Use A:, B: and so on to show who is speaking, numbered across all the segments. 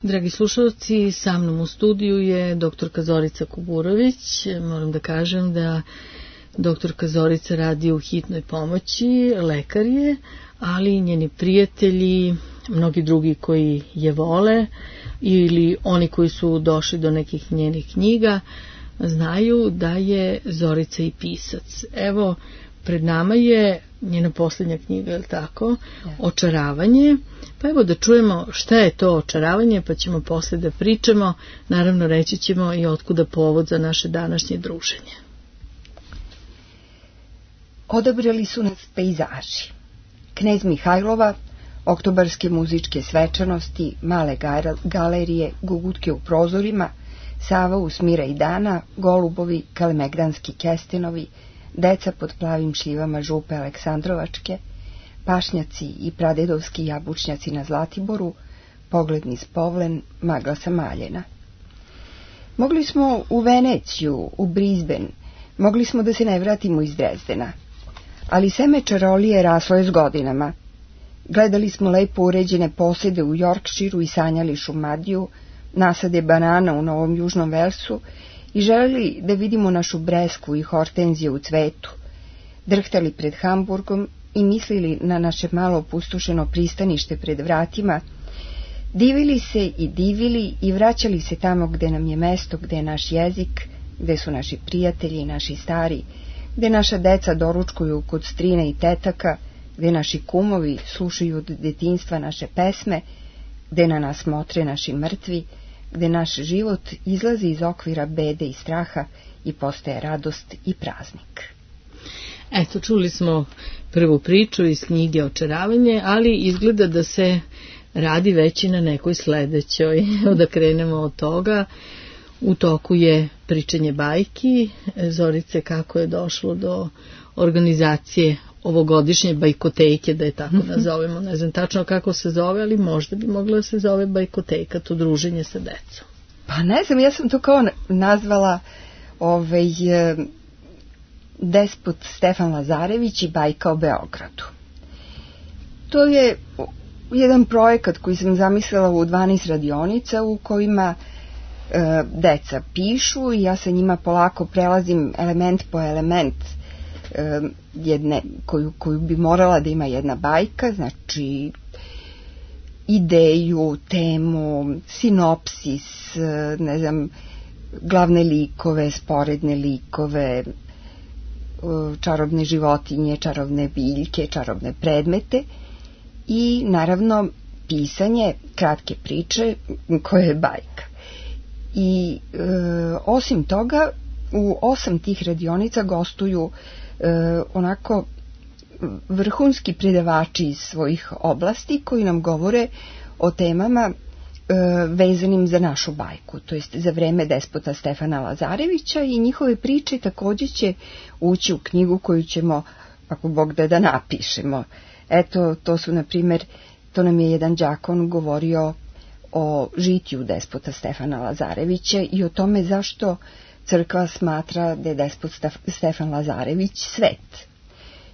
A: Dragi slušalci, sa mnom u studiju je doktorka Zorica Kuburović. Moram da kažem da doktorka Zorica radi u hitnoj pomoći, lekar je, ali i njeni prijatelji, mnogi drugi koji je vole ili oni koji su došli do nekih njenih knjiga, znaju da je Zorica i pisac. Evo, pred nama je njena posljednja knjiga, je li tako? Očaravanje. Pa evo da čujemo šta je to očaravanje, pa ćemo posle da pričamo. Naravno, reći ćemo i otkuda povod za naše današnje druženje.
B: Odabrali su nas pejzaži. Knez Mihajlova, oktobarske muzičke svečanosti, male galerije, gugutke u prozorima, Sava u smira i dana, golubovi, kalemegdanski kestenovi, deca pod plavim šljivama župe Aleksandrovačke, pašnjaci i pradedovski jabučnjaci na Zlatiboru, pogled niz Povlen, magla sa Maljena. Mogli smo u Veneciju, u Brisbane, mogli smo da se ne vratimo iz Drezdena, ali seme čarolije raslo je s godinama. Gledali smo lepo uređene posede u Yorkshireu i sanjali Šumadiju, nasade banana u Novom Južnom Velsu i želeli da vidimo našu bresku i hortenzije u cvetu, drhtali pred Hamburgom i mislili na naše malo opustošeno pristanište pred vratima, divili se i divili i vraćali se tamo gde nam je mesto, gde je naš jezik, gde su naši prijatelji i naši stari, gde naša deca doručkuju kod strine i tetaka, gde naši kumovi slušaju od detinjstva naše pesme, gde na nas motre naši mrtvi, gde naš život izlazi iz okvira bede i straha i postaje radost i praznik.
A: Eto, čuli smo prvu priču iz knjige Očaravanje, ali izgleda da se radi već i na nekoj sledećoj. Da krenemo od toga. U toku je pričanje bajki. Zorice, kako je došlo do organizacije ovogodišnje bajkoteke, da je tako nazovemo. Ne znam tačno kako se zove, ali možda bi mogla da se zove bajkoteka, to druženje sa decom.
B: Pa ne znam, ja sam to kao nazvala Despot Stefan Lazarević i bajka o Beogradu. To je jedan projekat koji sam zamislila u 12 radionica u kojima deca pišu i ja sa njima polako prelazim element po element jedne koju bi morala da ima jedna bajka, znači ideju, temu, sinopsis, ne znam, glavne likove, sporedne likove, čarobne životinje, čarobne biljke, čarobne predmete i naravno pisanje kratke priče koja je bajka. I osim toga u 8 tih radionica gostuju onako vrhunski predavači iz svojih oblasti koji nam govore o temama vezanim za našu bajku, to jest za vreme despota Stefana Lazarevića, i njihove priče također će ući u knjigu koju ćemo, ako Bog da napišemo. Eto, to su, na primjer, to nam je jedan đakon govorio o žitiju despota Stefana Lazarevića i o tome zašto crkva smatra da je despot Stefan Lazarević svet.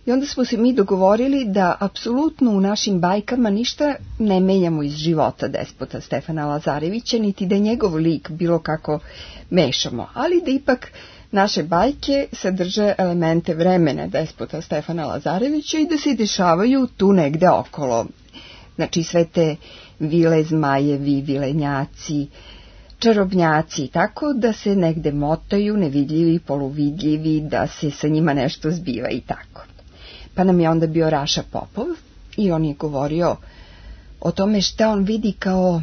B: I onda smo se mi dogovorili da apsolutno u našim bajkama ništa ne menjamo iz života despota Stefana Lazarevića, niti da njegov lik bilo kako mešamo, ali da ipak naše bajke sadrže elemente vremena despota Stefana Lazarevića i da se dešavaju tu negde okolo. Znači sve te vile, zmajevi, vilenjaci, čarobnjaci, tako da se negde motaju, nevidljivi, poluvidljivi, da se sa njima nešto zbiva i tako. Pa nam je onda bio Raša Popov i on je govorio o tome šta on vidi kao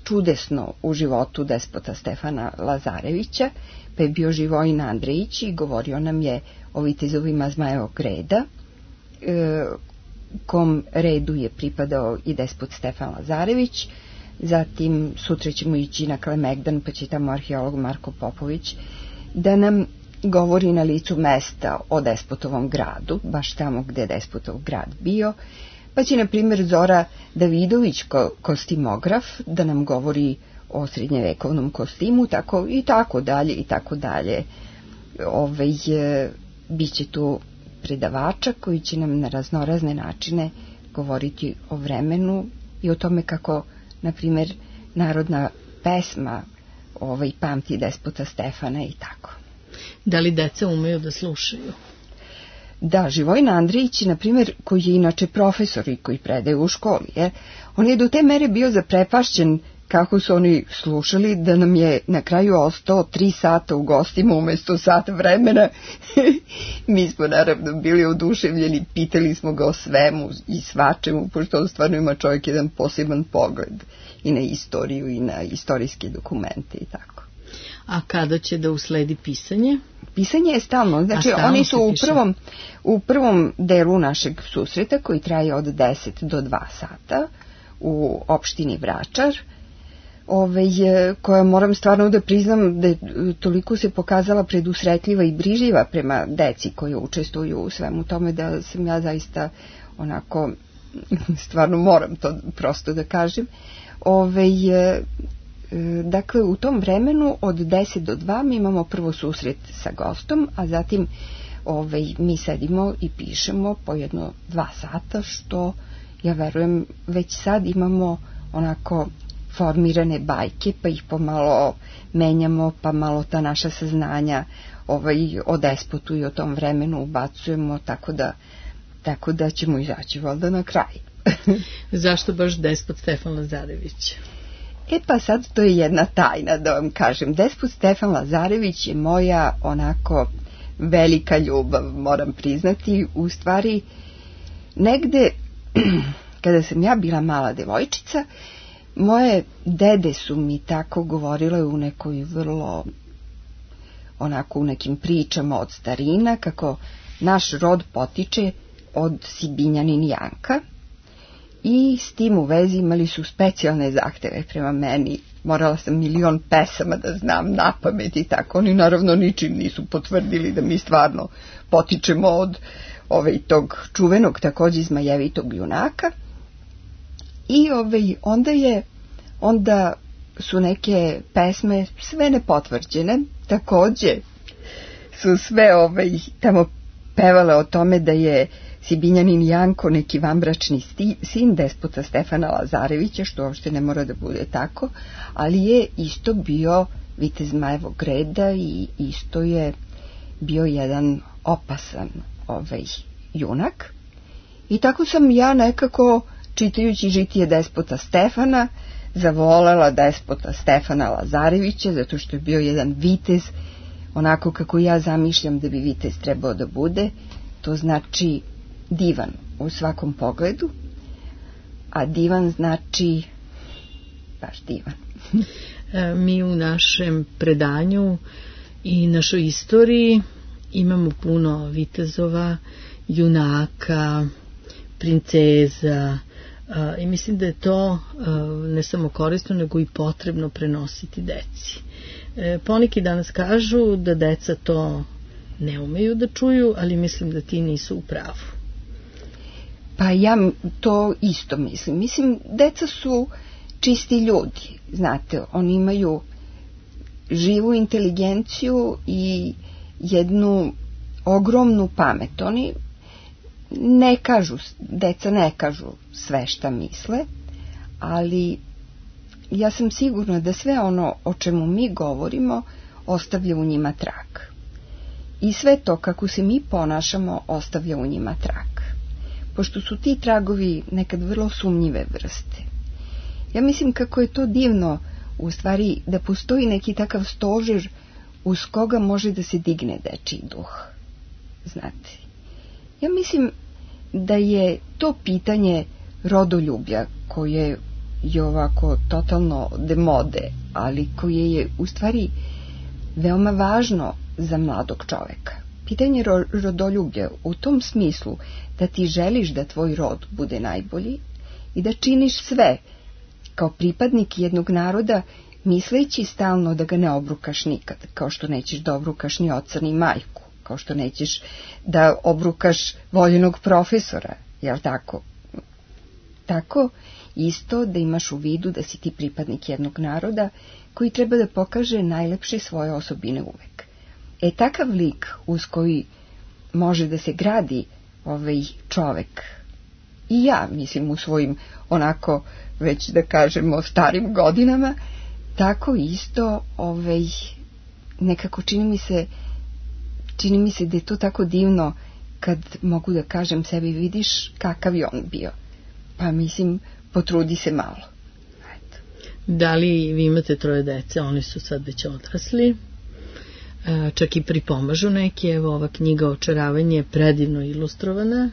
B: čudesno u životu despota Stefana Lazarevića, pa je bio Živojin Andrejić i govorio nam je o vitezovima Zmajevog reda, kom redu je pripadao i despot Stefan Lazarević. Zatim sutra ćemo ići na Kalemegdan, pa će tamo arheolog Marko Popović da nam govori na licu mesta o despotovom gradu, baš tamo gde je despotov grad bio, pa će na primjer Zora Davidović, kostimograf, da nam govori o srednjevekovnom kostimu, tako i tako dalje i tako dalje. Biće tu predavača koji će nam na raznorazne načine govoriti o vremenu i o tome kako, na primjer, narodna pesma Pamti despota Stefana i tako.
A: Da li deca umeju da slušaju?
B: Da, Živojin Andrejić, na primjer, koji je inače profesor i koji predaje u školi, on je do te mere bio zaprepašćen kako su oni slušali, da nam je na kraju ostao 3 sata u gostima umjesto sat vremena. Mi smo naravno bili oduševljeni, pitali smo ga o svemu i svačemu, pošto on stvarno ima čovjek jedan poseban pogled i na istoriju i na istorijske dokumente i tako.
A: A kada će da usledi pisanje?
B: Pisanje je stalno, znači oni su u prvom delu našeg susreta koji traje od 10 do 2 sata u opštini Vračar, koja moram stvarno da priznam da toliko se pokazala predusretljiva i brižljiva prema deci koji učestvuju u svemu tome, da sam ja zaista onako, stvarno moram to prosto da kažem. Dakle, u tom vremenu od 10 do 2 mi imamo prvo susret sa gostom, a zatim mi sedimo i pišemo po 1-2 sata, što ja verujem već sad imamo onako formirane bajke, pa ih pomalo menjamo, pa malo ta naša saznanja o despotu i o tom vremenu ubacujemo, tako da ćemo izaći valjda na kraj.
A: Zašto baš despot Stefan Lazarević?
B: Pa sad to je jedna tajna, da vam kažem. Despot Stefan Lazarević je moja onako velika ljubav, moram priznati. U stvari, negde kada sam ja bila mala devojčica, moje dede su mi tako govorile u nekoj vrlo, onako u nekim pričama od starina, kako naš rod potiče od Sibinjanin Janka, i s tim u vezi imali su specijalne zahteve prema meni. Morala sam 1.000.000 pesama da znam napamet i tako. Oni naravno ničim nisu potvrdili da mi stvarno potičemo od tog čuvenog takođe zmajevitog junaka. I onda su neke pesme sve nepotvrđene, takođe su sve tamo pevale o tome da je Sibinjanin Janko neki vanbračni sin despota Stefana Lazarevića, što uopšte ne mora da bude tako, ali je isto bio vitez Zmajevog reda i isto je bio jedan opasan junak. I tako sam ja nekako, čitajući žitije despota Stefana, zavolela despota Stefana Lazarevića, zato što je bio jedan vitez, onako kako ja zamišljam da bi vitez trebao da bude, to znači divan u svakom pogledu, a divan znači baš divan.
A: Mi u našem predanju i našoj istoriji imamo puno vitezova, junaka, princeza, i mislim da je to ne samo korisno, nego i potrebno prenositi deci. Poneki danas kažu da deca to ne umeju da čuju, ali mislim da ti nisu u pravu.
B: Pa ja to isto mislim. Mislim, deca su čisti ljudi, znate, oni imaju živu inteligenciju i jednu ogromnu pamet. Oni ne kažu, deca ne kažu sve šta misle, ali ja sam sigurna da sve ono o čemu mi govorimo ostavlja u njima trag. I sve to kako se mi ponašamo ostavlja u njima trag. Pošto su ti tragovi nekad vrlo sumnjive vrste. Ja mislim kako je to divno, u stvari, da postoji neki takav stožer uz koga može da se digne dečiji duh. Znate, ja mislim da je to pitanje rodoljublja koje je ovako totalno demode, ali koje je u stvari veoma važno za mladog čoveka. Pitanje rodoljublja u tom smislu da ti želiš da tvoj rod bude najbolji i da činiš sve kao pripadnik jednog naroda, misleći stalno da ga ne obrukaš nikad, kao što nećeš da obrukaš ni oca ni majku, kao što nećeš da obrukaš voljenog profesora, jel tako? Tako isto da imaš u vidu da si ti pripadnik jednog naroda koji treba da pokaže najlepše svoje osobine uvek. Takav lik uz koji može da se gradi čovek i ja, mislim, u svojim onako, već da kažemo, starim godinama, tako isto nekako čini mi se da je to tako divno kad mogu da kažem sebi, vidiš kakav je on bio. Pa mislim, potrudi se malo. Eto.
A: Da li vi imate 3 dece, oni su sad već odrasli, čak i pripomažu neki, evo ova knjiga Očaravanje je predivno ilustrovana,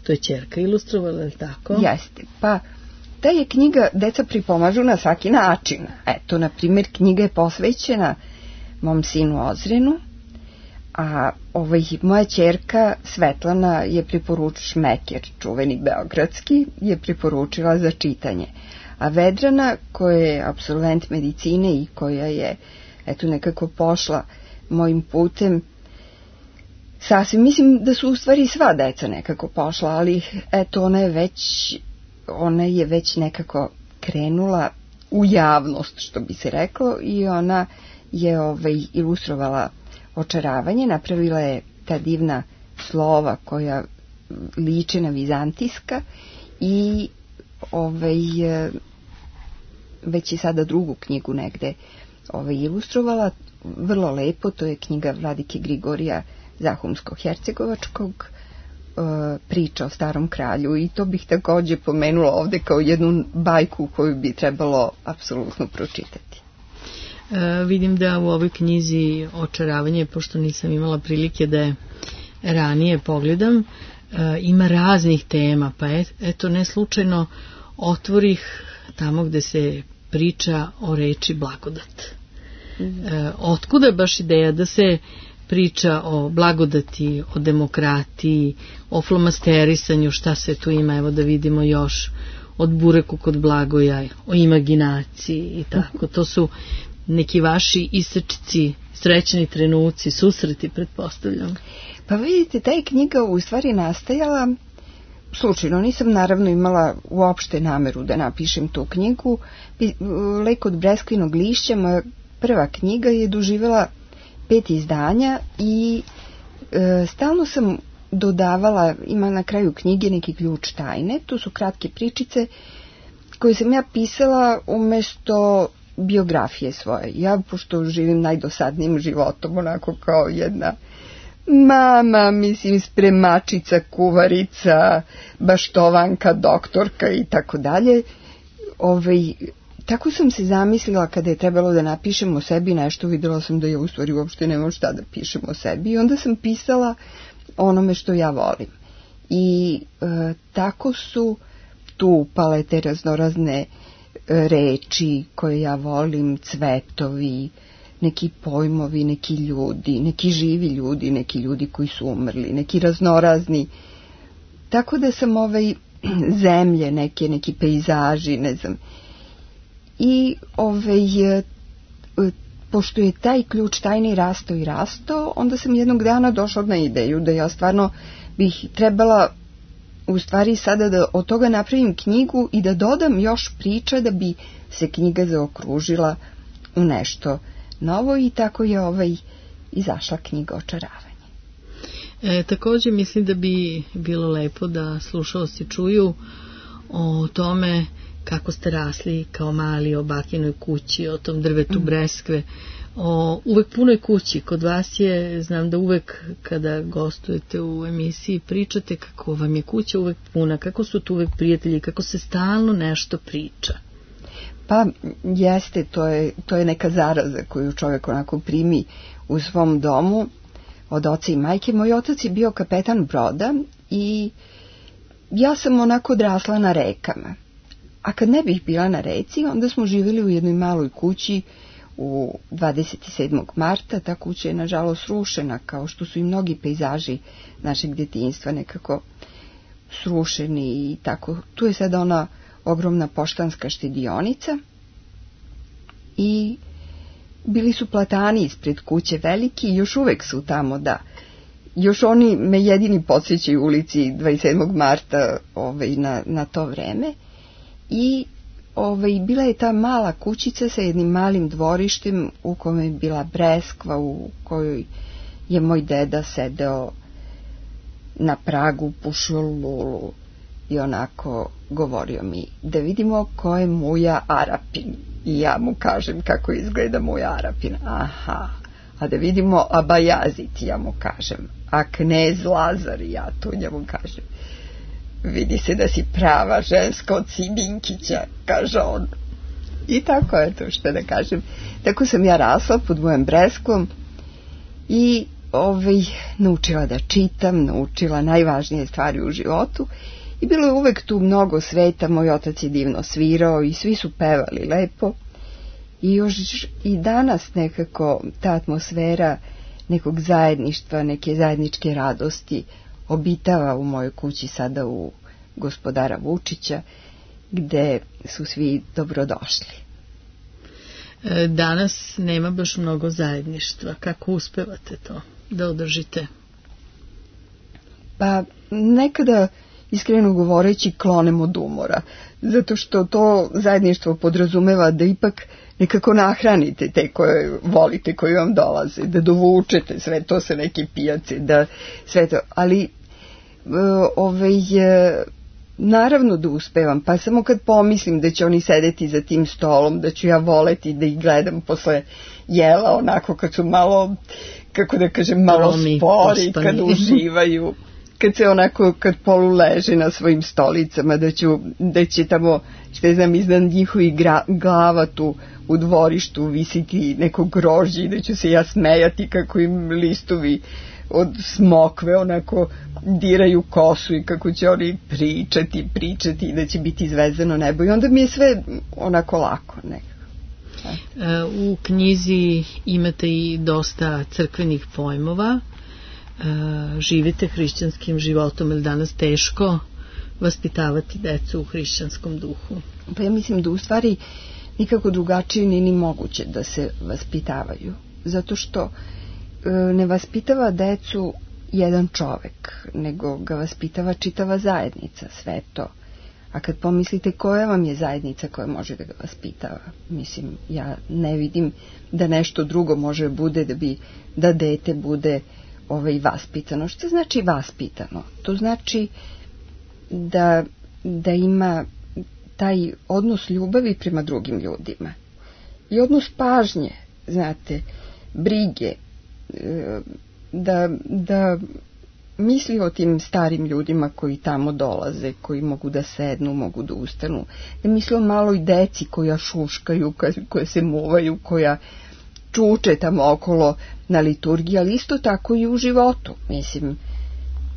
A: to je ćerka ilustrovala, je li tako?
B: Jeste, pa ta je knjiga Deca pripomažu na svaki način. Eto, na primjer, knjiga je posvećena mom sinu Ozrenu, a moja ćerka Svetlana je Šmeker, čuveni beogradski, je preporučila za čitanje. A Vedrana, koja je apsolvent medicine i koja je nekako pošla mojim putem, sasvim, mislim da su u stvari sva deca nekako pošla, ali eto, ona je već nekako krenula u javnost, što bi se reklo, i ona je ilustrovala Očaravanje, napravila je ta divna slova koja liče na vizantijska i već je sada 2. knjigu negde ilustrovala, vrlo lepo, to je knjiga Vladike Grigorija Zahumsko-Hercegovačkog, priča o starom kralju, i to bih takođe pomenula ovde kao jednu bajku koju bi trebalo apsolutno pročitati.
A: Vidim da u ovoj knjizi Očaravanje, pošto nisam imala prilike da je ranije pogledam, ima raznih tema, pa eto ne slučajno otvorih tamo gde se priča o reči blagodat. Otkuda je baš ideja da se priča o blagodati, o demokratiji, o flomasterisanju, šta se tu ima, evo da vidimo još, od bureku kod Blagoja, o imaginaciji i tako. To su neki vaši isečci, srećni trenuci, susreti, pretpostavljam.
B: Pa vidite, ta je knjiga u stvari nastajala slučajno. Nisam naravno imala uopšte nameru da napišem tu knjigu. Lek od breskvinog lišća, moja prva knjiga, je doživjela 5 izdanja i stalno sam dodavala, ima na kraju knjige neki ključ tajne, to su kratke pričice koje sam ja pisala umesto biografije svoje. Ja, pošto živim najdosadnijim životom, onako kao jedna mama, mislim, spremačica, kuvarica, baštovanka, doktorka i tako dalje, tako sam se zamislila kada je trebalo da napišem o sebi nešto, videla sam da ja u stvari uopšte nemam šta da pišem o sebi, i onda sam pisala onome što ja volim. I tako su tu upale te raznorazne reči koje ja volim, cvetovi, neki pojmovi, neki ljudi, neki živi ljudi, neki ljudi koji su umrli, neki raznorazni. Tako da sam zemlje, neki pejzaži, ne znam. I pošto je taj ključ tajni rastao i rastao, onda sam jednog dana došla na ideju da ja stvarno bih trebala u stvari sada da od toga napravim knjigu i da dodam još priča da bi se knjiga zaokružila u nešto novo, i tako je izašla knjiga Očaravanje.
A: Također mislim da bi bilo lepo da slušaoci čuju o tome kako ste rasli kao mali, o bakinoj kući, o tom drvetu breskve, o uvek punoj kući. Kod vas je, znam da uvek kada gostujete u emisiji pričate kako vam je kuća uvek puna, kako su tu uvek prijatelji, kako se stalno nešto priča.
B: Pa jeste, to je neka zaraza koju čovjek onako primi u svom domu od oca i majke. Moj otac je bio kapetan broda i ja sam onako odrasla na rekama. A kad ne bih bila na reci, onda smo živjeli u jednoj maloj kući u 27. marta. Ta kuća je nažalost srušena, kao što su i mnogi pejzaži našeg djetinjstva nekako srušeni i tako. Tu je sada ona ogromna poštanska štedionica i bili su platani ispred kuće veliki i još uvek su tamo, da. Još oni me jedini podsjećaju ulici 27. marta na to vreme. I bila je ta mala kućica sa jednim malim dvorištem u kome je bila breskva, u kojoj je moj deda sedeo na pragu, pušio lulu i onako govorio mi da vidimo ko je Muja Arapin. I ja mu kažem kako izgleda Muja Arapin. Aha, a da vidimo Abajazit, ja mu kažem. A knez Lazar, ja tu njemu kažem. Vidi se da si prava ženska od Siminkića, kaže on. I tako je to, što da kažem. Tako sam ja rasla pod mojom Breskom i naučila da čitam, naučila najvažnije stvari u životu i bilo je uvek tu mnogo sveta. Moj otac je divno svirao i svi su pevali lepo i još i danas nekako ta atmosfera nekog zajedništva, neke zajedničke radosti obitava u mojoj kući sada u Gospodara Vučića, gde su svi dobrodošli.
A: Danas nema baš mnogo zajedništva. Kako uspevate to da održite?
B: Pa nekada, iskreno govoreći, klonem od umora, zato što to zajedništvo podrazumeva da ipak nekako nahranite te koje volite, koji vam dolaze, da dovučete sve to sa neke pijace, da sve to, ali naravno da uspevam, pa samo kad pomislim da će oni sedeti za tim stolom, da ću ja voleti da ih gledam posle jela, onako kad su malo, kako da kažem, malo spori, kad uživaju, kad se onako, kad polu leže na svojim stolicama, da će tamo, što znam, iznad njihovih glava tu u dvorištu visiti neko grožđe i da ću se ja smejati kako im listovi od smokve onako diraju kosu i kako će oni pričati i da će biti zvezdano nebo i onda mi je sve onako lako nekako.
A: U knjizi imate i dosta crkvenih pojmova, živite hrišćanskim životom, je li danas teško vaspitavati decu u hrišćanskom duhu?
B: Pa ja mislim da u stvari nikako drugačije ni moguće da se vaspitavaju, zato što ne vaspitava decu jedan čovek, nego ga vaspitava čitava zajednica, sve to. A kad pomislite koja vam je zajednica koja može da ga vaspitava, mislim, ja ne vidim da nešto drugo može bude da dete bude vaspitano. Što znači vaspitano? To znači da ima taj odnos ljubavi prema drugim ljudima i odnos pažnje, znate, brige, da misli o tim starim ljudima koji tamo dolaze, koji mogu da sednu, mogu da ustanu, da misli o maloj deci koja šuškaju, koja se muvaju, koja čuče tamo okolo na liturgiji, ali isto tako i u životu. Mislim,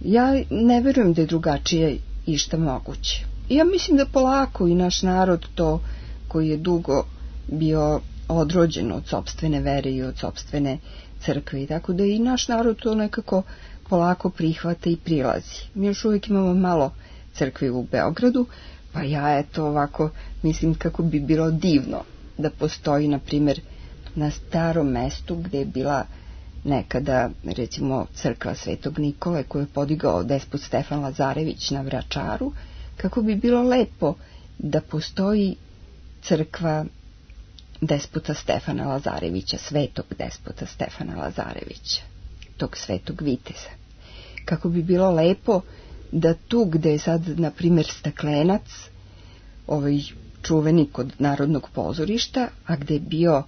B: ja ne verujem da je drugačije išta moguće. I ja mislim da polako i naš narod to, koji je dugo bio odrođen od sopstvene vere i od sopstvene crkve, i tako da i naš narod to nekako polako prihvata i prilazi. Mi još uvijek imamo malo crkve u Beogradu, pa ja eto ovako mislim kako bi bilo divno da postoji, na primjer, na starom mestu gdje je bila nekada, recimo, crkva Svetog Nikole koju je podigao despot Stefan Lazarević na Vračaru, kako bi bilo lepo da postoji crkva despota Stefana Lazarevića, svetog despota Stefana Lazarevića, tog svetog viteza. Kako bi bilo lepo da tu gde je sad, na primjer, Staklenac, čuveni kod Narodnog pozorišta, a gde je bio,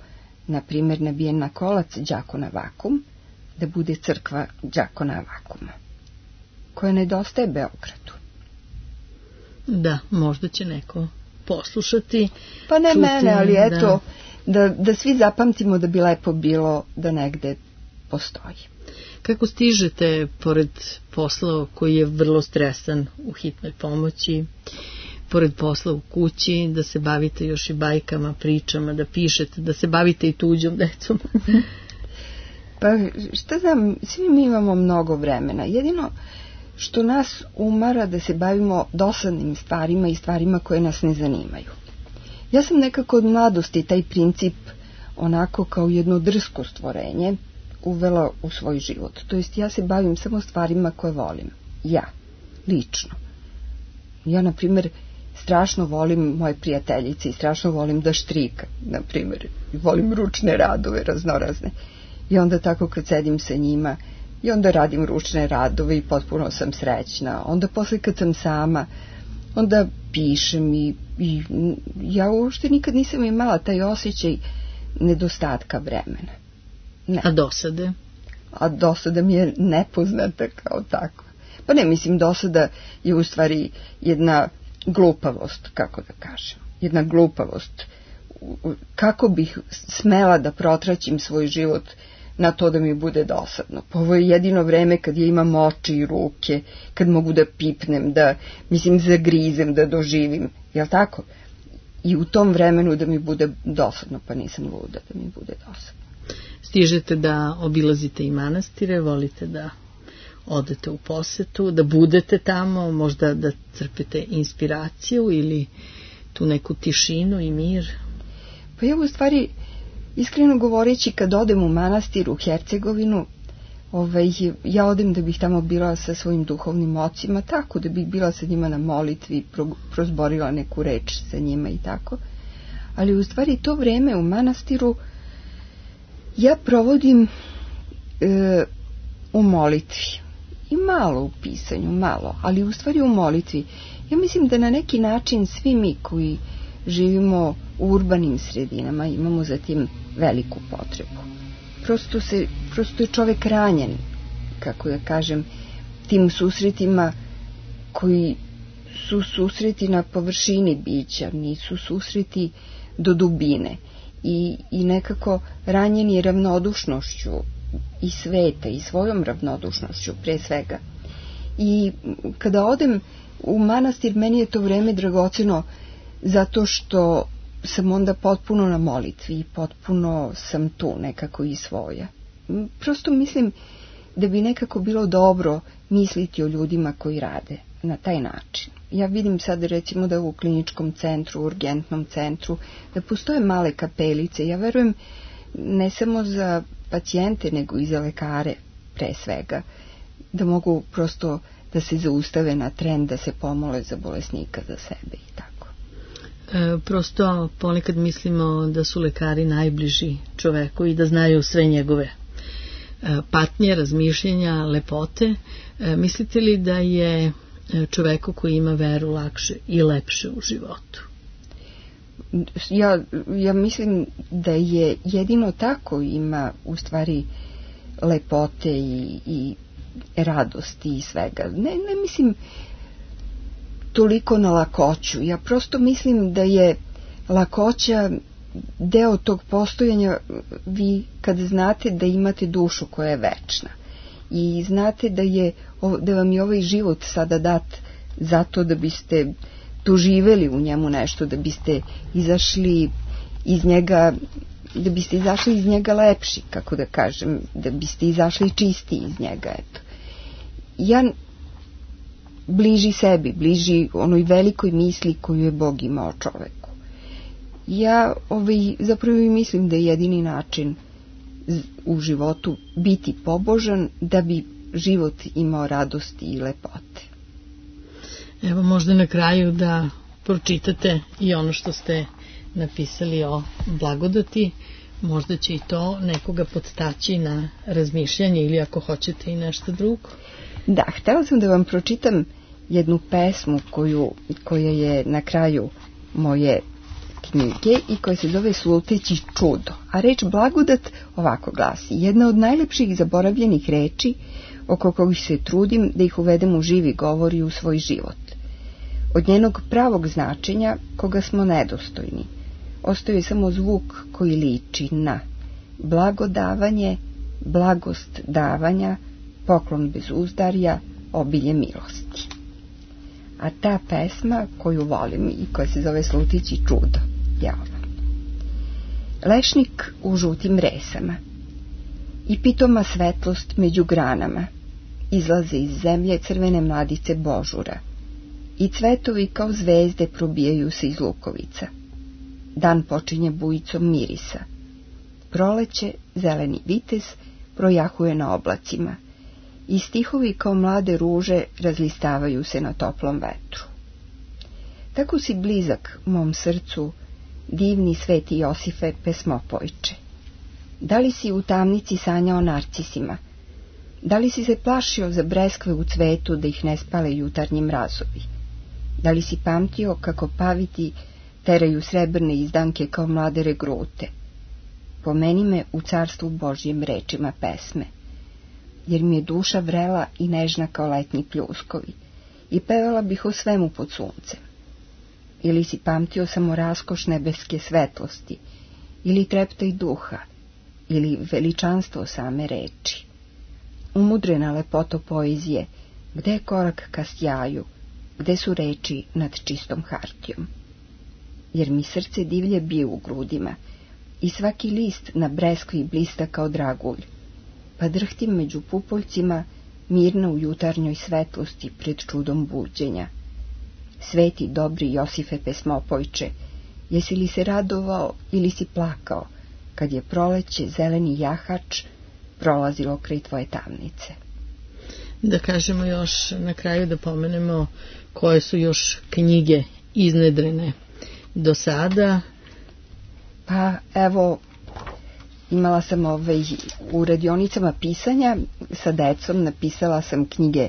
B: na primjer, nabijen na kolac Đakona Vakum, da bude crkva Đakona Vakuma, koja nedostaje Beogradu.
A: Da, možda će neko poslušati.
B: Pa ne mene, ali eto, da svi zapamtimo da bi lepo bilo da negde postoji.
A: Kako stižete, pored posla koji je vrlo stresan u hitnoj pomoći, pored posla u kući, da se bavite još i bajkama, pričama, da pišete, da se bavite i tuđom decom?
B: Pa šta znam, svi mi imamo mnogo vremena. Jedino što nas umara da se bavimo dosadnim stvarima i stvarima koje nas ne zanimaju. Ja sam nekako od mladosti taj princip onako kao jedno drsko stvorenje uvela u svoj život. To jest ja se bavim samo stvarima koje volim. Ja, lično. Ja, na primjer, strašno volim moje prijateljice i strašno volim da štrikam, na primjer. Volim ručne radove raznorazne. I onda tako kad sedim sa njima i onda radim ručne radove i potpuno sam srećna. Onda posle kad sam sama, onda pišem i ja uopšte nikad nisam imala taj osjećaj nedostatka vremena. Ne.
A: A dosade?
B: A dosada mi je nepoznata kao takva. Pa ne, mislim, dosada je u stvari jedna glupavost, kako da kažem. Jedna glupavost. Kako bih smela da protraćim svoj život na to da mi bude dosadno. Pa ovo je jedino vreme kad ja imam oči i ruke, kad mogu da pipnem, da, mislim, zagrizem, da doživim. Jel' tako? I u tom vremenu da mi bude dosadno, pa nisam luda da mi bude dosadno.
A: Stižete da obilazite i manastire, volite da odete u posetu, da budete tamo, možda da crpite inspiraciju ili tu neku tišinu i mir?
B: Pa ja u stvari, iskreno govoreći, kad odem u manastir u Hercegovinu, ja odem da bih tamo bila sa svojim duhovnim ocima, tako da bih bila sa njima na molitvi, prozborila neku reč sa njima i tako. Ali u stvari to vreme u manastiru ja provodim u molitvi. I malo u pisanju, malo, ali u stvari u molitvi. Ja mislim da na neki način svi mi koji živimo u urbanim sredinama imamo za tim veliku potrebu. Prosto je čovek ranjen, kako da kažem, tim susretima koji su susreti na površini bića, nisu susreti do dubine i nekako ranjeni ravnodušnošću i sveta i svojom ravnodušnošću pre svega. I kada odem u manastir, meni je to vreme dragoceno zato što sam onda potpuno na molitvi i potpuno sam tu nekako i svoja. Prosto mislim da bi nekako bilo dobro misliti o ljudima koji rade na taj način. Ja vidim sad recimo da u kliničkom centru, u urgentnom centru, da postoje male kapelice. Ja verujem ne samo za pacijente, nego i za lekare pre svega, da mogu prosto da se zaustave na tren, da se pomole za bolesnika, za sebe i tako.
A: Prosto ponekad mislimo da su lekari najbliži čoveku i da znaju sve njegove patnje, razmišljenja, lepote. Mislite li da je čoveku koji ima veru lakše i lepše u životu?
B: Ja mislim da je jedino tako ima u stvari lepote i radosti i svega. Ne mislim toliko na lakoću. Ja prosto mislim da je lakoća deo tog postojanja. Vi kad znate da imate dušu koja je večna i znate da vam je ovaj život sada dat zato da biste doživeli u njemu nešto, da biste izašli iz njega, lepši, kako da kažem, da biste izašli čisti iz njega, eto. Ja bliži sebi, bliži onoj velikoj misli koju je Bog imao čoveku. Ja zapravo mislim da je jedini način u životu biti pobožan da bi život imao radosti i lepote.
A: Evo možda na kraju da pročitate i ono što ste napisali o blagodati, možda će i to nekoga podstaći na razmišljanje ili ako hoćete i nešto drugo.
B: Da, htela sam da vam pročitam jednu pesmu koja je na kraju moje knjige i koja se zove Sluteći čudo. A reč blagodat ovako glasi: jedna od najlepših zaboravljenih reči oko kojih se trudim da ih uvedem u živi govor i u svoj život. Od njenog pravog značenja, koga smo nedostojni, ostaje samo zvuk koji liči na blagodavanje, blagost davanja, poklon bez uzdarja, obilje milosti. A ta pesma koju volim i koja se zove Sluteći čudo je ova. Lešnik u žutim resama i pitoma svetlost među granama, izlaze iz zemlje crvene mladice božura i cvetovi kao zvezde probijaju se iz lukovica. Dan počinje bujicom mirisa. Proleće, zeleni vitez, projahuje na oblacima i stihovi kao mlade ruže razlistavaju se na toplom vetru. Tako si blizak mom srcu, divni sveti Josife pesmopojče. Da li si u tamnici sanjao narcisima? Da li si se plašio za breskve u cvetu da ih ne spale jutarnji mrazovi? Da li si pamtio kako paviti teraju srebrne izdanke kao mlade regrute? Pomeni me u carstvu Božjem rečima pesme, jer mi je duša vrela i nežna kao letnji pljuskovi, i pevala bih o svemu pod suncem. Ili si pamtio samo raskoš nebeske svetlosti, ili treptaj duha, ili veličanstvo same reči. Umudrena lepoto poezije, gde je korak ka sjaju, gde su reči nad čistom hartijom? Jer mi srce divlje bije u grudima i svaki list na breskvi blista kao dragulj, pa drhtim među pupoljcima mirno u jutarnjoj svetlosti pred čudom buđenja. Sveti dobri Josife pesmopojče, jesi li se radovao ili si plakao kad je proleće zeleni jahač prolazilo kraj tvoje tamnice?
A: Da kažemo još na kraju, da pomenemo koje su još knjige iznedrene do sada.
B: Pa evo, imala sam u radionicama pisanja sa decom, napisala sam knjige,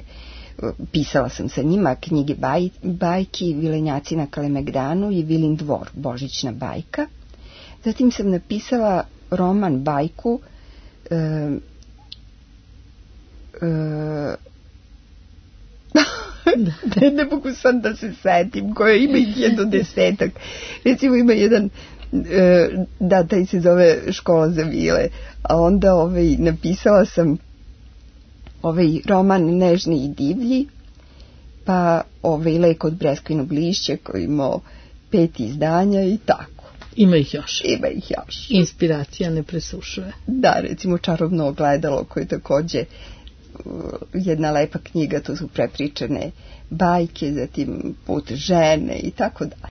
B: pisala sam sa njima knjige bajki Vilenjaci na Kalemegdanu i Vilin dvor, Božićna bajka. Zatim sam napisala roman bajku ne mogu sam da se setim, koja ima ih 10. Recimo ima jedan, da, taj se zove Škola za vile, a onda napisala sam roman Nežni i divlji, pa Lek od breskvinog lišća koji imao 5 izdanja i tako.
A: Ima ih još.
B: Ima ih još.
A: Inspiracija ne presušuje.
B: Da, recimo Čarobno ogledalo, koje je takođe jedna lepa knjiga, to su prepričane bajke, zatim Put žene i tako dalje.